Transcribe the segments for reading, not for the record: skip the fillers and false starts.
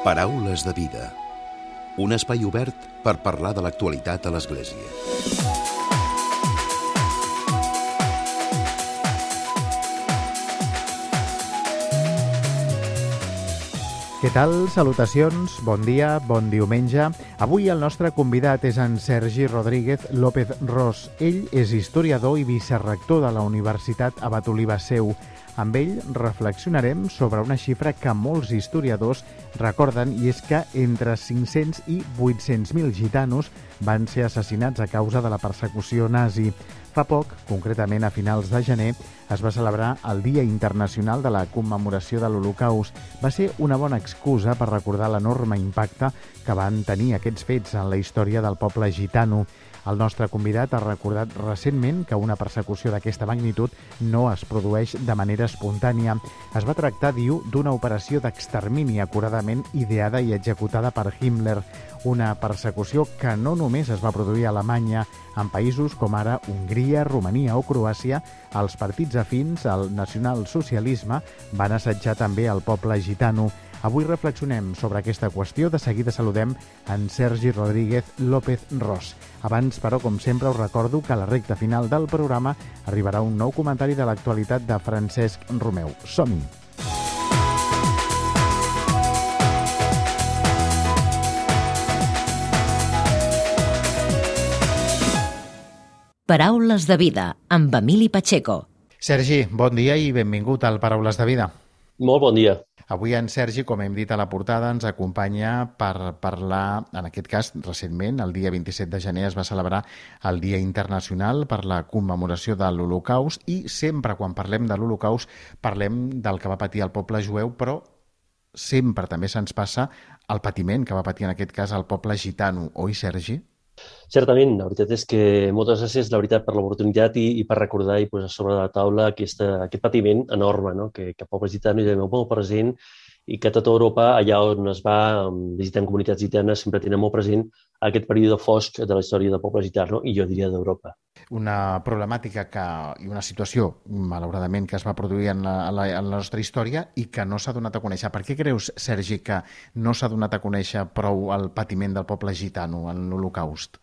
Paraules de vida. Un espai obert per parlar de l'actualitat a l'Església. Què tal? Salutacions, bon dia, bon diumenge. Avui el nostre convidat és en Sergi Rodríguez López Ros. Ell és historiador i vicerrector de la Universitat Abat Oliba Seu. Amb ell reflexionarem sobre una xifra que molts historiadors recorden, i és que entre 500 i 800.000 gitanos van ser assassinats a causa de la persecució nazi. Fa poc, concretament a finals de gener, es va celebrar el Dia Internacional de la Commemoració de l'Holocaust. Va ser una bona excusa per recordar l'enorme impacte que van tenir aquests fets en la història del poble gitano. El nostre convidat ha recordat recentment que una persecució d'aquesta magnitud no es produeix de manera espontània. Es va tractar, diu, d'una operació d'extermini acuradament ideada i executada per Himmler. Una persecució que no només es va produir a Alemanya. En països com ara Hongria, Romania o Croàcia, els partits afins al nacionalsocialisme van assetjar també el poble gitano. Avui reflexionem sobre aquesta qüestió. De seguida saludem en Sergi Rodríguez López Ros. Abans, però, com sempre, us recordo que a la recta final del programa arribarà un nou comentari de l'actualitat de Francesc Romeu. Som-hi! Paraules de vida, amb Emili Pacheco. Sergi, bon dia i benvingut al Paraules de vida. Molt bon dia. Avui en Sergi, com hem dit a la portada, ens acompanya per parlar, en aquest cas, recentment, el dia 27 de gener es va celebrar el Dia Internacional per la Commemoració de l'Holocaust, i sempre quan parlem de l'Holocaust parlem del que va patir el poble jueu, però sempre també se'ns passa el patiment que va patir en aquest cas el poble gitano, oi, Sergi? Certament, la veritat és que moltes gràcies, la veritat, per l'oportunitat i per recordar i posar sobre la taula aquest patiment enorme, no? que el poble gitano hi ha molt present i que a tota Europa, allà on es va visitant comunitats gitanes, sempre tenen molt present aquest període fosc de la història del poble gitano i jo diria d'Europa. Una problemàtica i una situació, malauradament, que es va produir en la nostra història i que no s'ha donat a conèixer. Per què creus, Sergi, que no s'ha donat a conèixer prou el patiment del poble gitano en l'Holocaust?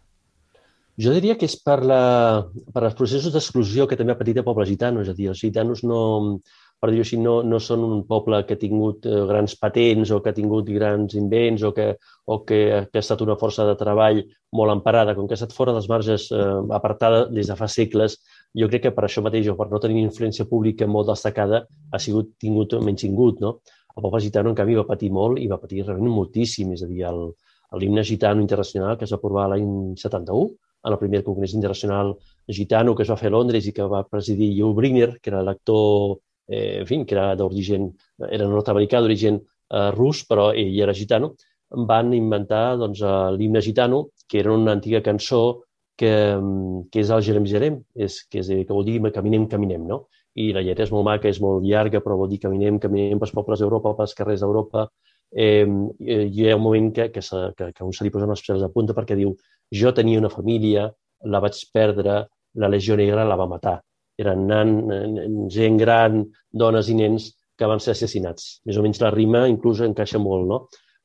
Jo diria que és per els processos d'exclusió que també ha patit el poble gitano. És a dir, els gitanos no, per dir-ho així, no són un poble que ha tingut grans patents o que ha tingut grans invents o que ha estat una força de treball molt emparada. Com que ha estat fora dels marges, apartada des de fa segles, jo crec que per això mateix, o per no tenir influència pública molt destacada, ha sigut menystingut, no? El poble gitano, en canvi, va patir molt i va patir realment moltíssim. És a dir, l'himne gitano internacional que es va aprovar l'any 71, en el primer congrés internacional gitano que es va fer a Londres i que va presidir Yul Brynner, que era l'actor, que era d'origen, era nord-americà d'origen rus, però ell era gitano, van inventar l'himne gitano, que era una antiga cançó que és el Jerem Jerem, que vol dir caminem, caminem, no? I la lletra és molt maca, és molt llarga, però vol dir caminem, caminem pels pobles d'Europa, pels carrers d'Europa. Hi ha un moment que un se li posen els pèls a punta perquè diu: jo tenia una família, la vaig perdre, la Legió Negra la va matar. Eren gent gran, dones i nens que van ser assassinats. Més o menys la rima inclús encaixa molt, no?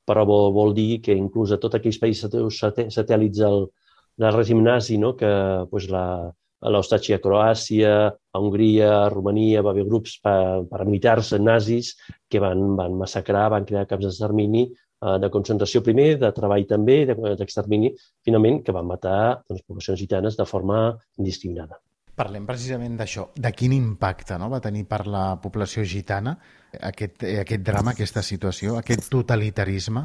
Però vol dir que inclús a tots aquells països satèl·lits del règim nazi, no? Que l'Eustàcia a Croàcia, a Hongria, a Romania, va haver grups paramilitars nazis que van massacrar, van crear camps d'extermini, de concentració primer, de treball també, d'extermini, finalment, que van matar poblacions gitanes de forma indiscriminada. Parlem precisament d'això. De quin impacte va tenir per la població gitana aquest drama, aquesta situació, aquest totalitarisme?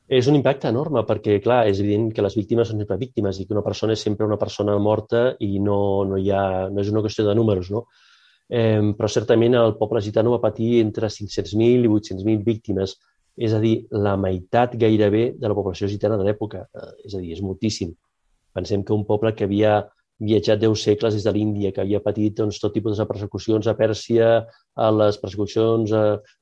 És un impacte enorme perquè, clar, és evident que les víctimes són sempre víctimes i que una persona és sempre una persona morta i no és una qüestió de números, no? Però certament el poble gitano va patir entre 500.000 i 800.000 víctimes, és a dir, la meitat gairebé de la població gitana de l'època. És a dir, és moltíssim. Pensem que un poble que havia viatjat 10 segles des de l'Índia, que havia patit tot tipus de persecucions a Pèrsia, a les persecucions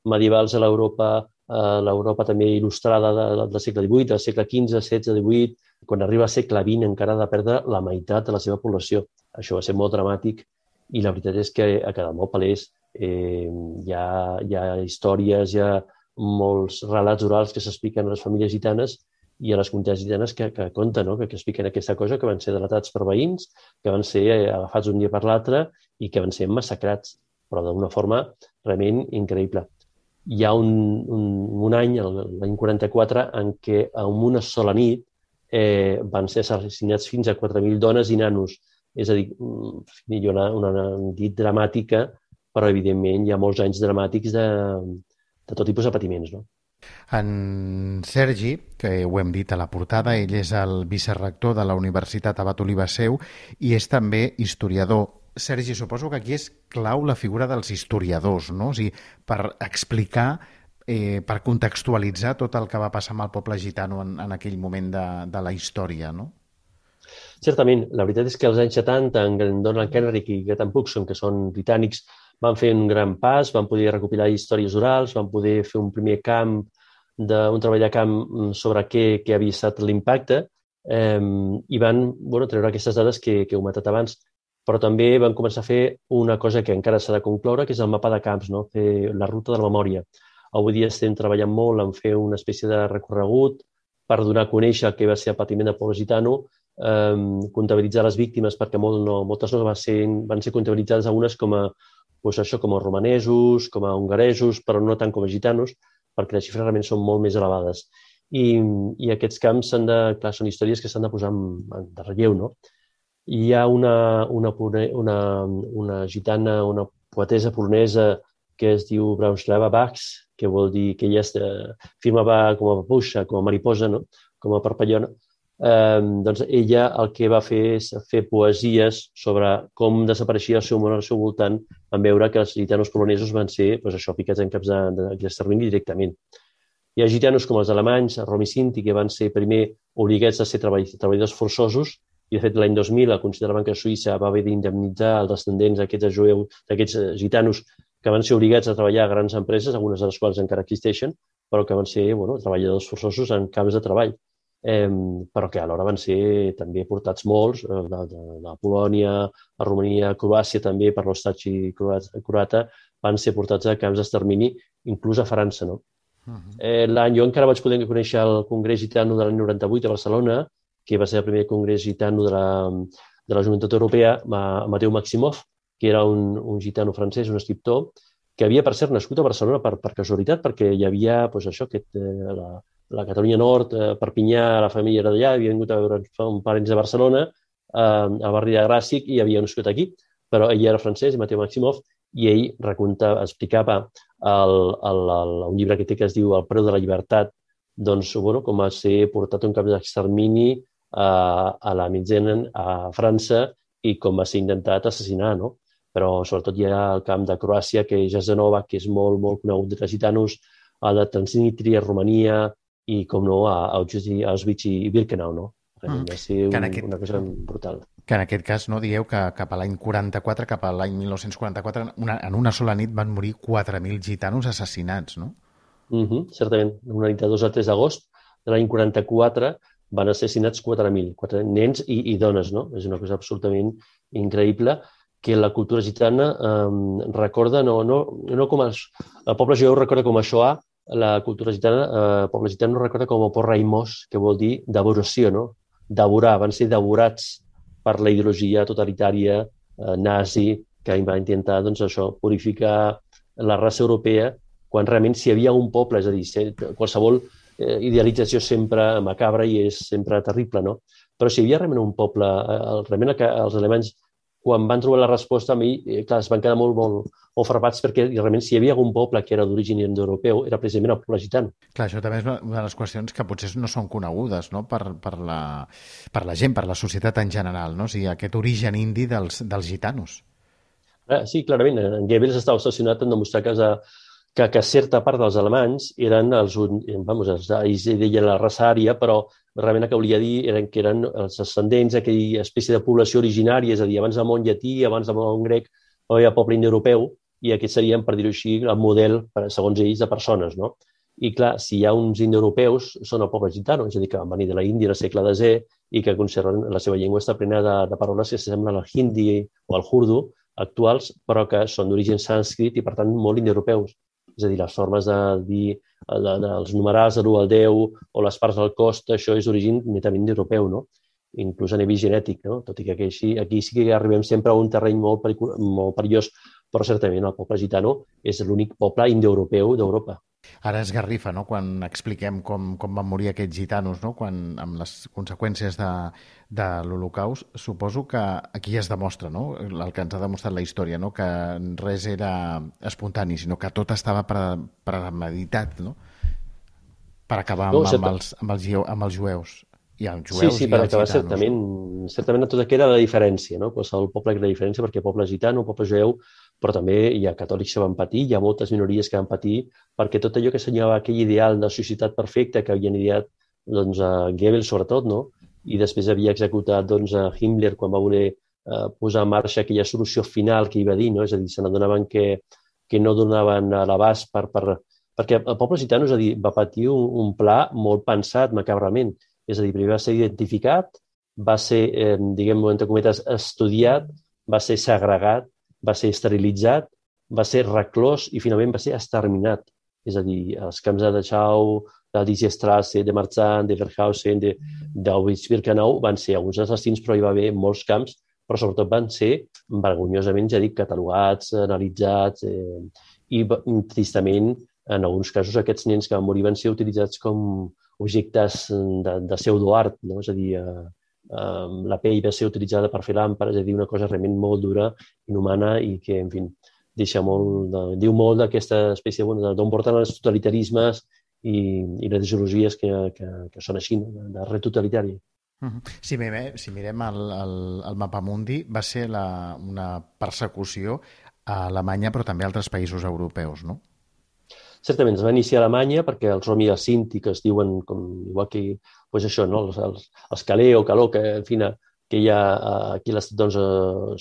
medievals a l'Europa també il·lustrada del segle XVIII, del segle XV, XVI, XVIII, quan arriba al segle XX encara ha de perdre la meitat de la seva població. Això va ser molt dramàtic i la veritat és que ha quedat molt palès. Hi ha històries, hi ha molts relats orals que s'expliquen a les famílies gitanes i a les comunitats gitanes que conten, no? Que expliquen aquesta cosa, que van ser delatats per veïns, que van ser agafats un dia per l'altre i que van ser massacrats, però d'una forma realment increïble. Hi ha un any, l'any 44, en què en una sola nit van ser assassinats fins a 4.000 dones i nanos. És a dir, una nit dramàtica, però evidentment hi ha molts anys dramàtics de tot tipus de patiments, no? En Sergi, que ho hem dit a la portada, ell és el vicerrector de la Universitat Abat Oliba Seu i és també historiador. Sergi, suposo que aquí és clau la figura dels historiadors, no? O sigui, per explicar, per contextualitzar tot el que va passar amb el poble gitano en aquell moment de la història, no? Certament, la veritat és que als anys 70, en Donald Kenrick i Graham Cookson, que són britànics, van fer un gran pas, van poder recopilar històries orals, van poder fer un primer un treball de camp sobre què havia estat l'impacte i van treure aquestes dades que he comentat abans. Però també van començar a fer una cosa que encara s'ha de concloure, que és el mapa de camps, no? Fer la ruta de la memòria. Avui dia estem treballant molt en fer una espècie de recorregut per donar a conèixer què va ser el patiment del poble gitano, comptabilitzar les víctimes, perquè moltes no van ser comptabilitzades algunes com a romanesos, com a hongaresos, però no tant com a gitanos, perquè les xifres realment són molt més elevades. I aquests camps són històries que s'han de posar de relleu, no? Hi ha una gitana, una poetesa polonesa que es diu Bronislawa Bach, que vol dir que ella firmava com a papuixa, com a mariposa, no? Com a parpallona. Doncs ella el que va fer és fer poesies sobre com desapareixia el seu món al seu voltant en veure que els gitanos polonesos van ser ficats en caps d'extermini directament. Hi ha gitanos com els alemanys, Rom i Sinti, que van ser primer obligats a ser treballadors forçosos i, de fet, l'any 2000 el Consell de la Banca Suïssa va haver d'indemnitzar els descendents d'aquests gitanos que van ser obligats a treballar a grans empreses, algunes de les quals encara existeixen, però que van ser treballadors forçosos en camps de treball. Però que alhora van ser també portats molts, de Polònia, a Romania, a Croàcia també, per l'Ostaci croata, van ser portats a camps d'extermini, inclús a França, no? Jo encara vaig poder conèixer el Congrés Gitano de l'any 98 a Barcelona, que va ser el primer Congrés Gitano de la Joventut Europea, Mateu Maximov, que era un gitano francès, un escriptor, que havia, per cert, nascut a Barcelona per casualitat, perquè hi havia la Catalunya Nord, Perpinyà, la família era d'allà, havia vingut a veure uns parents de Barcelona, al barri de Gràcia, i havia nascut aquí, però ell era francès, Mateu Maximov, i ell explicava un llibre que té que es diu El preu de la llibertat, doncs, com va ser portat a un camp d'extermini a la Mitzenen, a França, i com va ser intentat assassinar, no? Però sobretot hi ha el camp de Croàcia, que és Jasenovac, que és molt, molt conegut de gitanos, a la Transnistria, a Romania, i, com no, a Auschwitz i Birkenau, no? Va ser una cosa brutal. Que en aquest cas, no, dieu que cap a l'any 44, cap a l'any 1944, en una sola nit van morir 4.000 gitanos assassinats, no? Certament. Una nit de 2 a 3 d'agost de l'any 44 van assassinats 4.000, 4 nens i dones, no? És una cosa absolutament increïble que la cultura gitana recorda, no com el poble jueu recorda com a Shoah, la cultura gitana, el poble gitano recorda com a porraimós, que vol dir devoració, no? Devorar, van ser devorats per la ideologia totalitària nazi que va intentar purificar la raça europea, quan realment si hi havia un poble, és a dir, qualsevol idealització sempre macabra i és sempre terrible, no? Però si hi havia realment un poble, realment els alemanys, quan van trobar la resposta, a mi, clar, es van quedar molt frapats perquè realment si hi havia algun poble que era d'origen indoeuropeu era precisament el poble gitano. Clar, això també és una de les qüestions que potser no són conegudes, no? per la gent, per la societat en general, no? O sigui, aquest origen indi dels gitanos. Sí, clarament. En Goebbels estava obsessionat en demostrar que certa part dels alemanys eren ells deien la raça ària, però realment el que volia dir que eren els ascendents d'aquella espècie de població originària, és a dir, abans del món llatí, abans del món grec, no hi havia poble indoeuropeu, i aquests serien, per dir-ho així, el model, segons ells, de persones, no? I clar, si hi ha uns indoeuropeus, són el poble gitano, és a dir, que van venir de la Índia al segle X i que conserven la seva llengua està plena de paraules que s'assemblen al hindi o al urdu actuals, però que són d'origen sànscrit i, per tant, molt indoeuropeus. És a dir, les formes de dir dels numerals de l'1 al 10 o les parts del cos, això és d'origen netament europeu, no? Inclús a nivell genètic, no? Tot i que aquí sí que arribem sempre a un terreny molt perillós, però certament el poble gitano és l'únic poble indoeuropeu d'Europa. Ara es garrifa, no?, quan expliquem com van morir aquests gitanos, no?, amb les conseqüències de l'Holocaust. Suposo que aquí es demostra, no?, el que ens ha demostrat la història, no?, que res era espontani, sinó que tot estava premeditat, no?, per acabar amb els jueus. I els jueus sí, i per els acabar gitanos. certament tot aquí era la diferència, no? Qualsevol poble era la diferència perquè poble gitano, poble jueu, però també hi ha catòlics que van patir, hi ha moltes minories que van patir, perquè tot allò que assenyalava aquell ideal de societat perfecta que havien ideat doncs, a Goebbels sobretot, no? I després havia executat doncs, a Himmler quan va voler posar en marxa aquella solució final que hi va dir, no? És a dir, se n'adonaven que no donaven l'abast perquè el poble gitano, és a dir, va patir un pla molt pensat macabrament. És a dir, primer va ser identificat, va ser, diguem, entre cometes, estudiat, va ser segregat, va ser esterilitzat, va ser reclòs i finalment va ser exterminat. És a dir, els camps de Dachau, de Diesstrasse, de Marzahn, de Verhausen, d'Auschwitz-Birkenau van ser alguns assassins, però hi va haver molts camps, però sobretot van ser vergonyosament, ja dic, catalogats, analitzats i tristament, en alguns casos, aquests nens que van morir van ser utilitzats com objectes de pseudoart, no? És a dir, la pell va ser utilitzada per fer làmpades, és a dir, una cosa realment molt dura, inhumana i que, en fi, diu molt d'aquesta espècie d'on porten els totalitarismes i les ideologies que són així, de ret totalitari. Si mirem el Mapamundi, va ser una persecució a Alemanya, però també a altres països europeus, no? Certament, es va iniciar a Alemanya perquè els Romi i els Sinti, que es diuen, igual que doncs això, no? els Calé o Caló, que, en fi, que hi ha aquí a l'estat, doncs,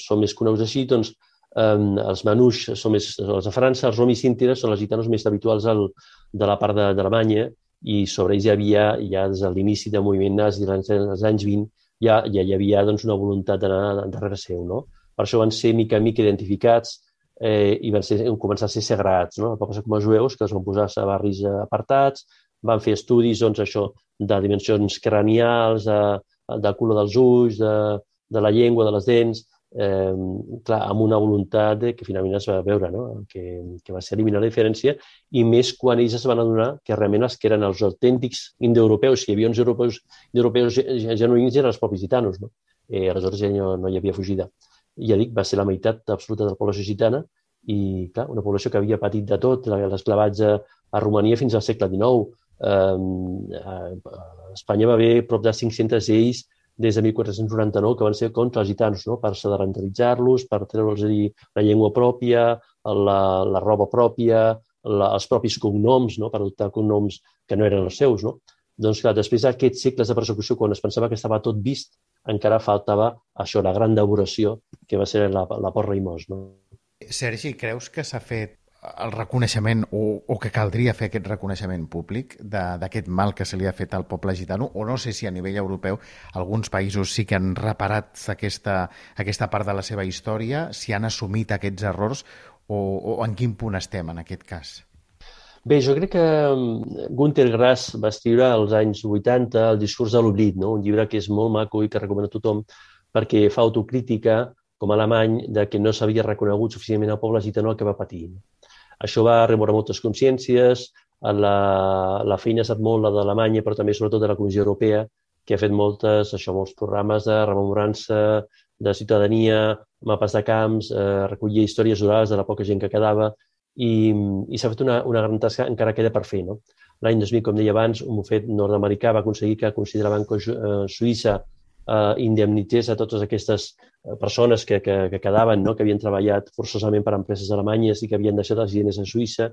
són més coneguts així, doncs, els Manús són més els de França, els Romi i Sinti són els gitanos més habituals de la part d'Alemanya i sobre ells hi havia, ja des de l'inici del moviment nazi dels anys 20, ja hi havia doncs, una voluntat d'anar darrere seu, no? Per això van ser mica en mica identificats i van començar a ser segregats, no? Va passar com els jueus, que es van posar a barris apartats, van fer estudis doncs, això, de dimensions cranials, del color dels ulls, de la llengua, de les dents, clar, amb una voluntat que finalment es va veure, no? que va ser eliminar la diferència, i més quan ells es van adonar que realment els que eren els autèntics indoeuropeus, si hi havia uns europeus genuïns, eren els propis gitanos, no? Aleshores ja no hi havia fugida. Ja dic, va ser la meitat absoluta de la població gitana i, clar, una població que havia patit de tot, l'esclavatge a Romania fins al segle XIX. A Espanya va haver prop de 500 lleis des de 1499 que van ser contra els gitanos, no? Per sedentaritzar-los, per treure'ls la llengua pròpia, la roba pròpia, els propis cognoms, no? Per adoptar cognoms que no eren els seus, no? Doncs, clar, després d'aquests segles de persecució, quan es pensava que estava tot vist, encara faltava això, la gran devoració, que va ser la porra i mos. No? Sergi, creus que s'ha fet el reconeixement o que caldria fer aquest reconeixement públic d'aquest mal que se li ha fet al poble gitano? O no sé si a nivell europeu alguns països sí que han reparat aquesta part de la seva història, si han assumit aquests errors o en quin punt estem en aquest cas? Bé, jo crec que Günter Grass va escriure als anys 80 El discurs de l'oblit, no? Un llibre que és molt maco i que recomano a tothom perquè fa autocrítica, com a alemany, de que no s'havia reconegut suficientment el poble gitano el que va patir. Això va remoure moltes consciències, la feina ha estat molt la d'Alemanya, però també sobretot de la Comissió Europea, que ha fet molts programes de rememorança, de ciutadania, mapes de camps, recollir històries orals de la poca gent que quedava, i s'ha fet una gran tasca, encara queda per fer. No? L'any 2000, com deia abans, un bufet nord-americà va aconseguir que consideraven que Suïssa indemnitzés a totes aquestes persones que quedaven, no? Que havien treballat forçosament per empreses alemanyes i que havien deixat els diners a Suïssa,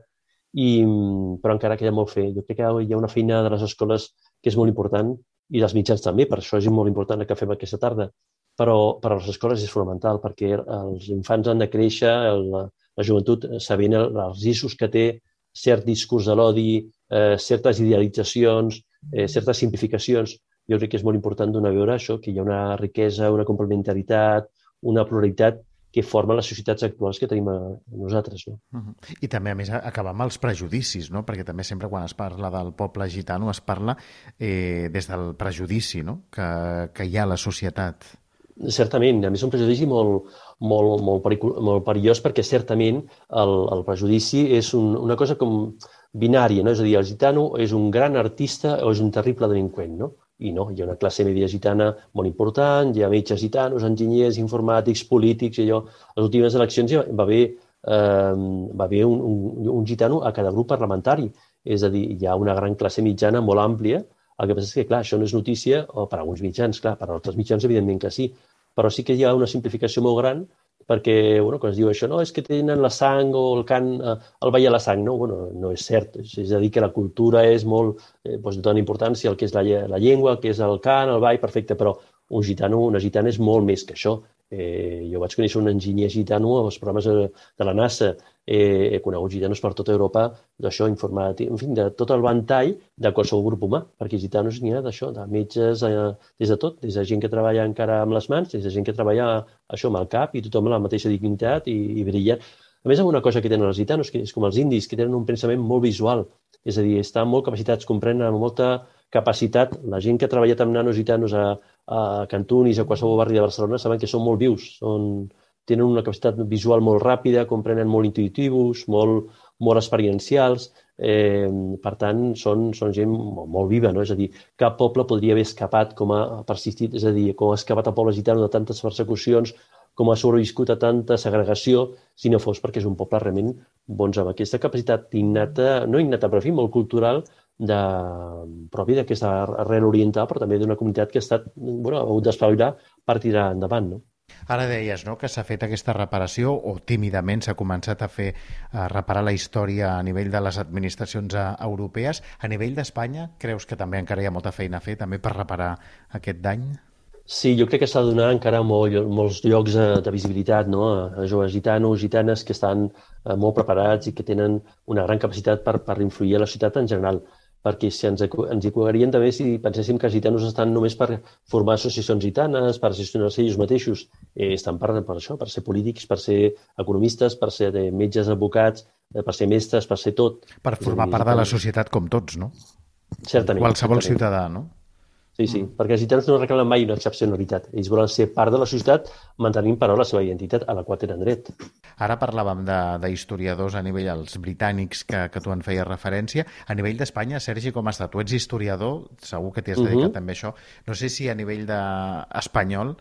però encara queda molt fer. Jo crec que hi ha una feina de les escoles que és molt important i dels mitjans també, per això és molt important el que fem aquesta tarda, però per a les escoles és fonamental perquè els infants han de créixer, la joventut sabent els riscos que té cert discurs de l'odi, certes idealitzacions, certes simplificacions. Jo crec que és molt important donar a veure això, que hi ha una riquesa, una complementaritat, una pluralitat que formen les societats actuals que tenim nosaltres. No? I també, a més, acabar amb els prejudicis, no? Perquè també sempre quan es parla del poble gitano es parla des del prejudici, no? que hi ha a la societat. Certament, a més un prejudici molt perillós perquè certament el prejudici és una cosa com binària, no? És a dir, el gitano és un gran artista o és un terrible delinqüent, no? I no, hi ha una classe media gitana molt important, hi ha metges gitanos, enginyers, informàtics, polítics, i allò. A les últimes eleccions va haver un gitano a cada grup parlamentari. És a dir, hi ha una gran classe mitjana molt àmplia. El que passa és que, clar, això no és notícia, o per a alguns mitjans, clar, per a altres mitjans, evidentment que sí, però sí que hi ha una simplificació molt gran perquè, bueno, quan es diu això, no, és que tenen la sang o el cant, el ball a la sang, no? Bueno, no és cert. És a dir, que la cultura és molt, doncs dona importància al que és la llengua, el que és el cant, el ball, perfecte, però un gitano, una gitana és molt més que això. Jo vaig conèixer un enginyer gitano als programes de la NASA. He conegut gitanos per tota Europa d'això, informàtic, en fi, de tot el ventall de qualsevol grup humà, perquè gitanos n'hi ha d'això, de metges, des de tot, des de gent que treballa encara amb les mans, des de gent que treballa això amb el cap i tothom amb la mateixa dignitat i brillant. A més, una cosa que tenen els gitanos, que és com els indis, que tenen un pensament molt visual, és a dir, estan molt capacitats, comprenen amb molta capacitat. La gent que ha treballat amb nanos gitanos a Cantunis, a qualsevol barri de Barcelona, saben que són molt vius, tenen una capacitat visual molt ràpida, comprenen molt intuitius, molt experiencials, per tant, són gent molt viva, no? És a dir, cap poble podria haver escapat com ha persistit, és a dir, com ha escapat el poble gitano de tantes persecucions, com ha sobreviscut a tanta segregació, si no fos perquè és un poble realment bons amb aquesta capacitat innata, no innata, però en fi, molt cultural, pròpia d'aquesta arrel oriental, però també d'una comunitat que ha hagut d'espavilar per tirar endavant, no? Ara deies, no?, que s'ha fet aquesta reparació, o tímidament s'ha començat a reparar la història a nivell de les administracions europees. A nivell d'Espanya, creus que també encara hi ha molta feina a fer també per reparar aquest dany? Sí, jo crec que s'ha de donar encara molts llocs de visibilitat, no? A joves gitanos, gitanes que estan molt preparats i que tenen una gran capacitat per influir a la societat en general. Perquè si ens equivocaríem també si penséssim que els gitanos estan només per formar associacions gitanes, per gestionar-se ells mateixos. Estan per això, per ser polítics, per ser economistes, per ser metges, advocats, per ser mestres, per ser tot. Per formar part de la societat com tots, no? Certament. Qualsevol ciutadà, no? Sí, perquè els gitanos no reclamen mai una excepcionalitat. Ells volen ser part de la societat mantenint però la seva identitat a la qual tenen dret. Ara parlàvem d'historiadors a nivell, els britànics que tu en feies referència. A nivell d'Espanya, Sergi, com està? Tu ets historiador, segur que t'hi has dedicat també a això. No sé si a nivell espanyol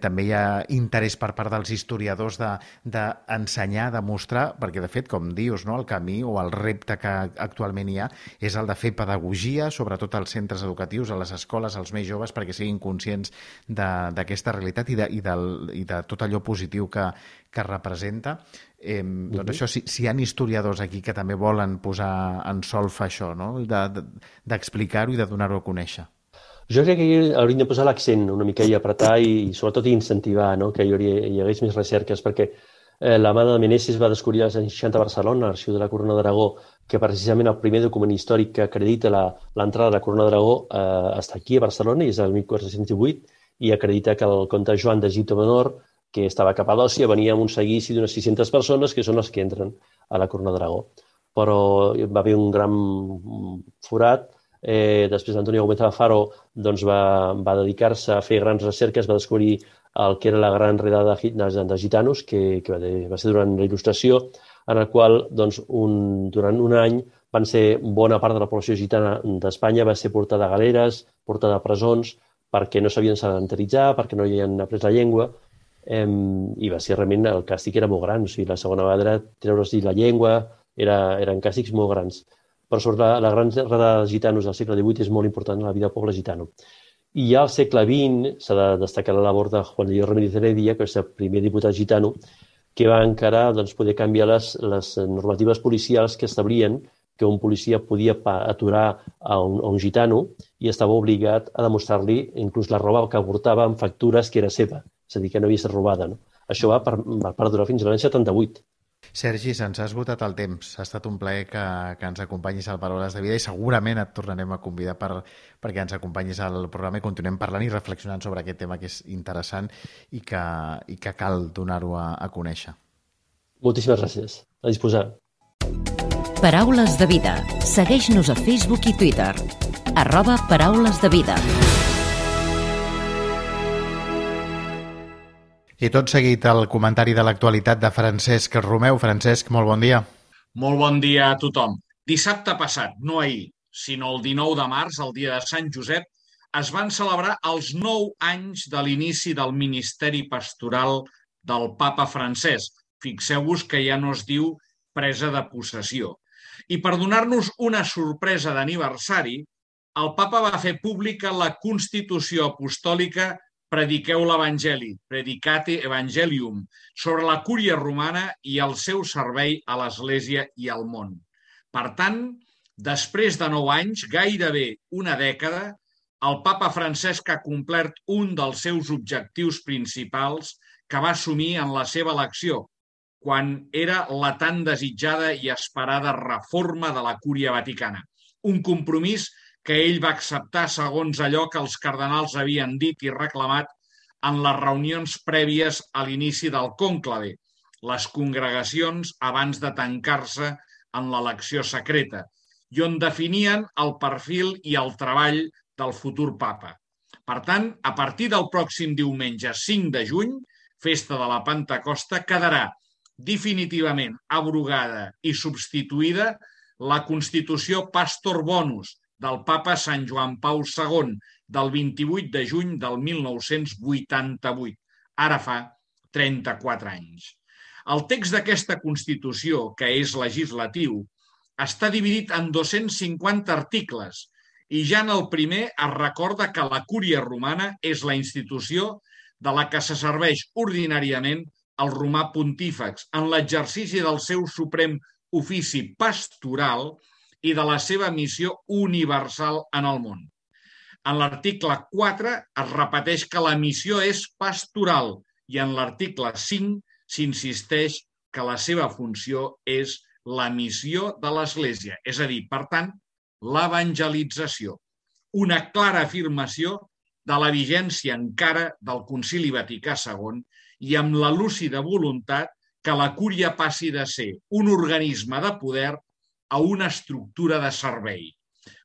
també hi ha interès per part dels historiadors d'ensenyar, de mostrar, perquè de fet, com dius, no, el camí o el repte que actualment hi ha és el de fer pedagogia, sobretot als centres educatius, a les escoles, als més joves, perquè siguin conscients d'aquesta realitat i de tot allò positiu que representa. Doncs això, si hi ha historiadors aquí que també volen posar en solfa això, no?, d'explicar-ho i de donar-ho a conèixer. Jo crec que hauríem de posar l'accent una mica i apretar i sobretot incentivar, no?, que hi hagués més recerques, perquè la mà de Meneses va descobrir als anys 60 a Barcelona, a l'Arxiu de la Corona d'Aragó, que precisament el primer document històric que acredita l'entrada de la Corona d'Aragó està aquí a Barcelona i és el 1418 i acredita que el comte Joan d'Egipte Menor, que estava a Capadòcia, venia amb un seguici d'unes 600 persones que són les que entren a la Corona d'Aragó. Però va haver un gran forat. Després Antonio Gómez Alfaro va dedicar-se a fer grans recerques, va descobrir el que era la gran redada de gitanos, que va ser durant la Il·lustració, en el qual durant un any van ser bona part de la població gitana d'Espanya va ser portada a galeres, portada a presons, perquè no sabien sedentaritzar, perquè no havien après la llengua, i va ser realment, el càstig era molt gran. O sigui, la segona vegada era treure's la llengua, eren càstigs molt grans. Però sobre la gran redada de gitanos del segle XVIII és molt important en la vida del poble gitano. I ja al segle XX s'ha de destacar la labor de Juan Diego Ramírez Heredia, que és el primer diputat gitano, que va encarar poder canviar les normatives policials que establien que un policia podia aturar a un gitano i estava obligat a demostrar-li inclús la roba que portava amb factures que era seva, és a dir, que no havia estat robada. No? Això va perdurar fins a l'any 78. Sergi, se'ns ha esgotat el temps. Ha estat un plaer que ens acompanyis al Paraules de Vida i segurament et tornarem a convidar perquè ens acompanyis al programa i continuem parlant i reflexionant sobre aquest tema que és interessant i que cal donar-ho a conèixer. Moltíssimes gràcies. A disposar. Paraules de Vida. Segueix-nos a Facebook i Twitter. @paraulesdevida. I tot seguit el comentari de l'actualitat de Francesc Romeu. Francesc, molt bon dia. Molt bon dia a tothom. Dissabte passat, no ahir, sinó el 19 de març, el dia de Sant Josep, es van celebrar els 9 anys de l'inici del ministeri pastoral del papa Francesc. Fixeu-vos que ja no es diu presa de possessió. I per donar-nos una sorpresa d'aniversari, el papa va fer pública la Constitució Apostòlica Prediqueu l'Evangeli, Predicate Evangelium, sobre la cúria romana i el seu servei a l'Església i al món. Per tant, després de 9 anys, gairebé una dècada, el papa Francesc ha complert un dels seus objectius principals que va assumir en la seva elecció, quan era la tan desitjada i esperada reforma de la Cúria Vaticana. Un compromís que ell va acceptar segons allò que els cardenals havien dit i reclamat en les reunions prèvies a l'inici del cònclave, les congregacions abans de tancar-se en l'elecció secreta, i on definien el perfil i el treball del futur papa. Per tant, a partir del pròxim diumenge 5 de juny, festa de la Pentecosta, quedarà definitivament abrogada i substituïda la Constitució Pastor Bonus del papa Sant Joan Pau II del 28 de juny del 1988, ara fa 34 anys. El text d'aquesta Constitució, que és legislatiu, està dividit en 250 articles i ja en el primer es recorda que la Cúria Romana és la institució de la que se serveix ordinàriament el romà pontífex en l'exercici del seu suprem ofici pastoral i de la seva missió universal en el món. En l'article 4 es repeteix que la missió és pastoral i en l'article 5 s'insisteix que la seva funció és la missió de l'Església, és a dir, per tant, l'evangelització. Una clara afirmació de la vigència encara del Concili Vaticà II i amb la lúcida voluntat que la Cúria passi de ser un organisme de poder a una estructura de servei.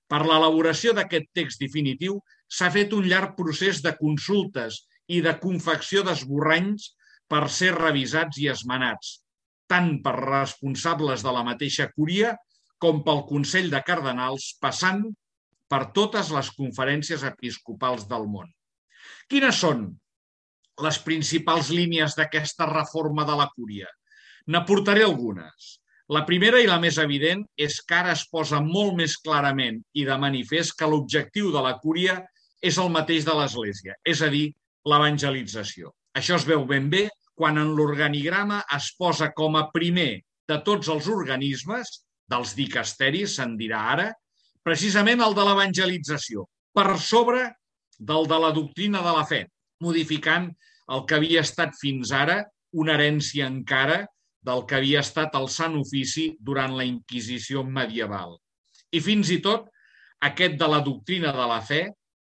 Per l'elaboració d'aquest text definitiu s'ha fet un llarg procés de consultes i de confecció d'esborranys per ser revisats i esmenats, tant per responsables de la mateixa Cúria com pel Consell de Cardenals, passant per totes les conferències episcopals del món. Quines són les principals línies d'aquesta reforma de la Cúria? N'aportaré algunes. La primera i la més evident és que ara es posa molt més clarament i de manifest que l'objectiu de la Cúria és el mateix de l'Església, és a dir, l'evangelització. Això es veu ben bé quan en l'organigrama es posa com a primer de tots els organismes, dels dicasteris, se'n dirà ara, precisament el de l'evangelització, per sobre del de la doctrina de la fe, modificant el que havia estat fins ara una herència encara del que havia estat el Sant Ofici durant la Inquisició medieval. I fins i tot aquest de la doctrina de la fe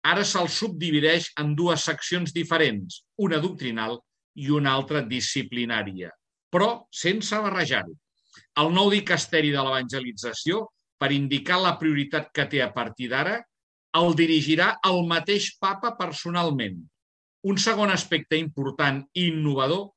ara se'l subdivideix en dues seccions diferents, una doctrinal i una altra disciplinària, però sense barrejar-ho. El nou dicasteri de l'evangelització, per indicar la prioritat que té a partir d'ara, el dirigirà el mateix papa personalment. Un segon aspecte important i innovador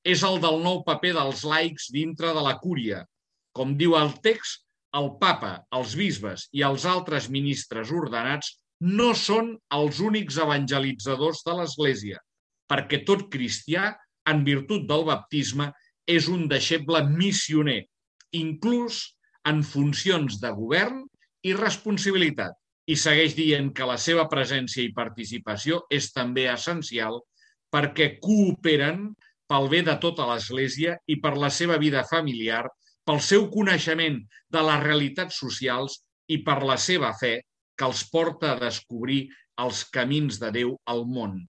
és el del nou paper dels laics dintre de la Cúria. Com diu el text, el papa, els bisbes i els altres ministres ordenats no són els únics evangelitzadors de l'Església, perquè tot cristià, en virtut del baptisme, és un deixeble missioner, inclús en funcions de govern i responsabilitat. I segueix dient que la seva presència i participació és també essencial perquè cooperen pel bé de tota l'Església i per la seva vida familiar, pel seu coneixement de les realitats socials i per la seva fe que els porta a descobrir els camins de Déu al món.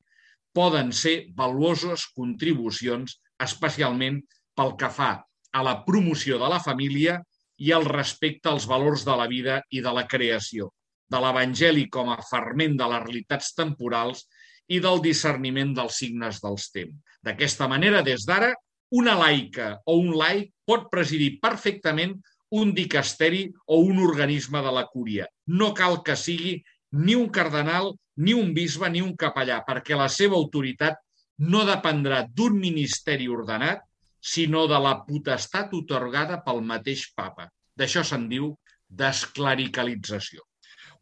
Poden ser valuoses contribucions, especialment pel que fa a la promoció de la família i al respecte als valors de la vida i de la creació, de l'Evangeli com a ferment de les realitats temporals i del discerniment dels signes dels temps. D'aquesta manera, des d'ara, una laica o un laic pot presidir perfectament un dicasteri o un organisme de la cúria. No cal que sigui ni un cardenal, ni un bisbe, ni un capellà, perquè la seva autoritat no dependrà d'un ministeri ordenat, sinó de la potestat atorgada pel mateix papa. D'això se'n diu desclericalització.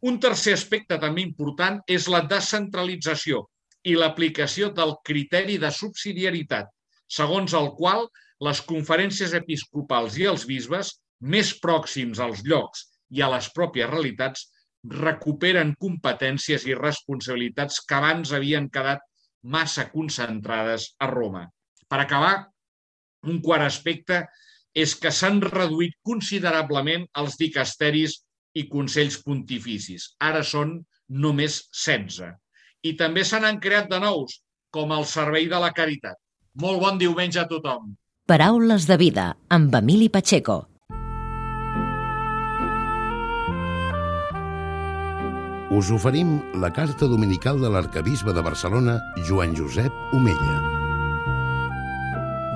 Un tercer aspecte també important és la descentralització i l'aplicació del criteri de subsidiarietat, segons el qual les conferències episcopals i els bisbes, més pròxims als llocs i a les pròpies realitats, recuperen competències i responsabilitats que abans havien quedat massa concentrades a Roma. Per acabar, un quart aspecte és que s'han reduït considerablement els dicasteris i consells pontificis. Ara són només 16. I també se n'han creat de nous, com el Servei de la Caritat. Molt bon diumenge a tothom. Paraules de vida, amb Emili Pacheco. Us oferim la carta dominical de l'arcabisbe de Barcelona, Joan Josep Omella.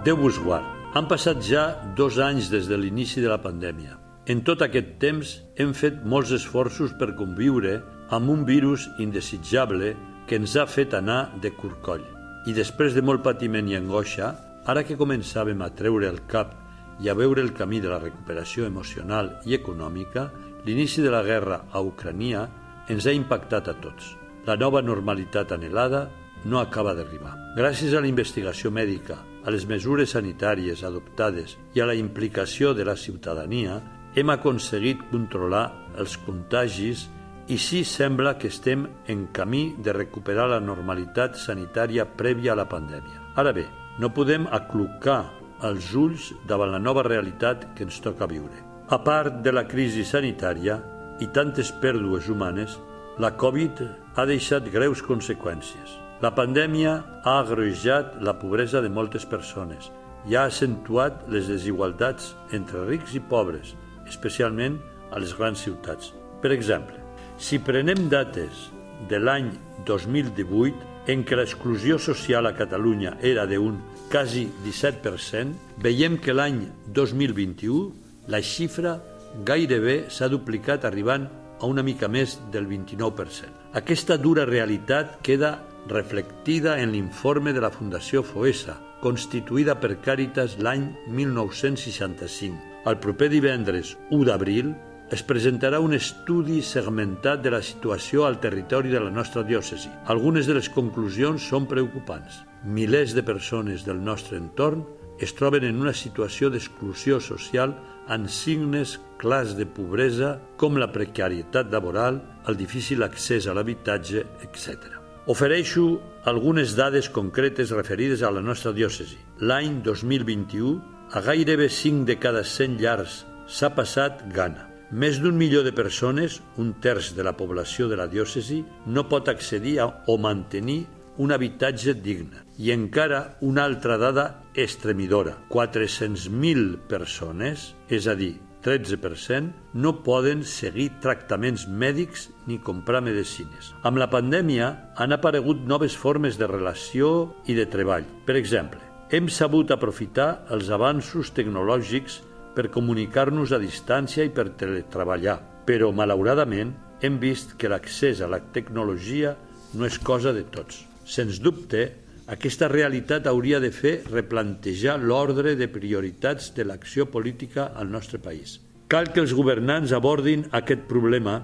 Déu vos guard. Han passat ja 2 anys des de l'inici de la pandèmia. En tot aquest temps hem fet molts esforços per conviure amb un virus indesitjable que ens ha fet anar de corcoll. I després de molt patiment i angoixa, ara que començàvem a treure el cap i a veure el camí de la recuperació emocional i econòmica, l'inici de la guerra a Ucrània ens ha impactat a tots. La nova normalitat anhelada no acaba d'arribar. Gràcies a la investigació mèdica, a les mesures sanitàries adoptades i a la implicació de la ciutadania, hem aconseguit controlar els contagis i sí sembla que estem en camí de recuperar la normalitat sanitària prèvia a la pandèmia. Ara bé, no podem aclucar els ulls davant la nova realitat que ens toca viure. A part de la crisi sanitària i tantes pèrdues humanes, la Covid ha deixat greus conseqüències. La pandèmia ha agreujat la pobresa de moltes persones i ha accentuat les desigualtats entre rics i pobres, especialment a les grans ciutats. Per exemple, si prenem dates de l'any 2018, en què l'exclusió social a Catalunya era d'un quasi 17%, veiem que l'any 2021 la xifra gairebé s'ha duplicat arribant a una mica més del 29%. Aquesta dura realitat queda reflectida en l'informe de la Fundació Foessa, constituïda per Càritas l'any 1965. El proper divendres 1 d'abril es presentarà un estudi segmentat de la situació al territori de la nostra diòcesi. Algunes de les conclusions són preocupants. Milers de persones del nostre entorn es troben en una situació d'exclusió social amb signes clars de pobresa com la precarietat laboral, el difícil accés a l'habitatge, etc. Ofereixo algunes dades concretes referides a la nostra diòcesi. L'any 2021, a gairebé 5 de cada 100 llars s'ha passat gana. Més d'1 milió de persones, 1/3 de la població de la diòcesi, no pot accedir o mantenir un habitatge digne. I encara una altra dada estremidora. 400.000 persones, és a dir, 13%, no poden seguir tractaments mèdics ni comprar medicines. Amb la pandèmia han aparegut noves formes de relació i de treball. Per exemple, hem sabut aprofitar els avanços tecnològics per comunicar-nos a distància i per teletreballar, però malauradament hem vist que l'accés a la tecnologia no és cosa de tots. Sens dubte, aquesta realitat hauria de fer replantejar l'ordre de prioritats de l'acció política al nostre país. Cal que els governants abordin aquest problema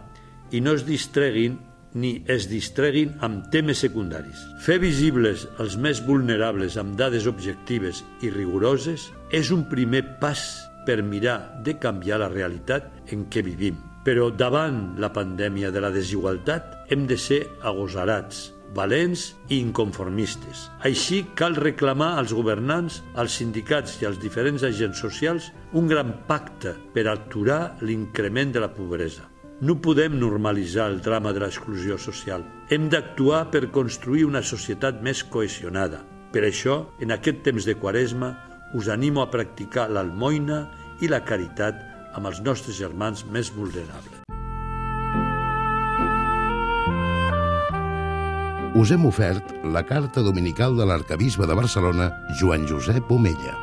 i no es distreguin ni es distreguin amb temes secundaris. Fer visibles els més vulnerables amb dades objectives i rigoroses és un primer pas per mirar de canviar la realitat en què vivim. Però davant la pandèmia de la desigualtat hem de ser agosarats, valents i inconformistes. Així cal reclamar als governants, als sindicats i als diferents agents socials un gran pacte per aturar l'increment de la pobresa. No podem normalitzar el drama de l'exclusió social. Hem d'actuar per construir una societat més cohesionada. Per això, en aquest temps de Quaresma, us animo a practicar l'almoina i la caritat amb els nostres germans més vulnerables. Us hem ofert la carta dominical de l'arquebisbe de Barcelona, Joan Josep Omella.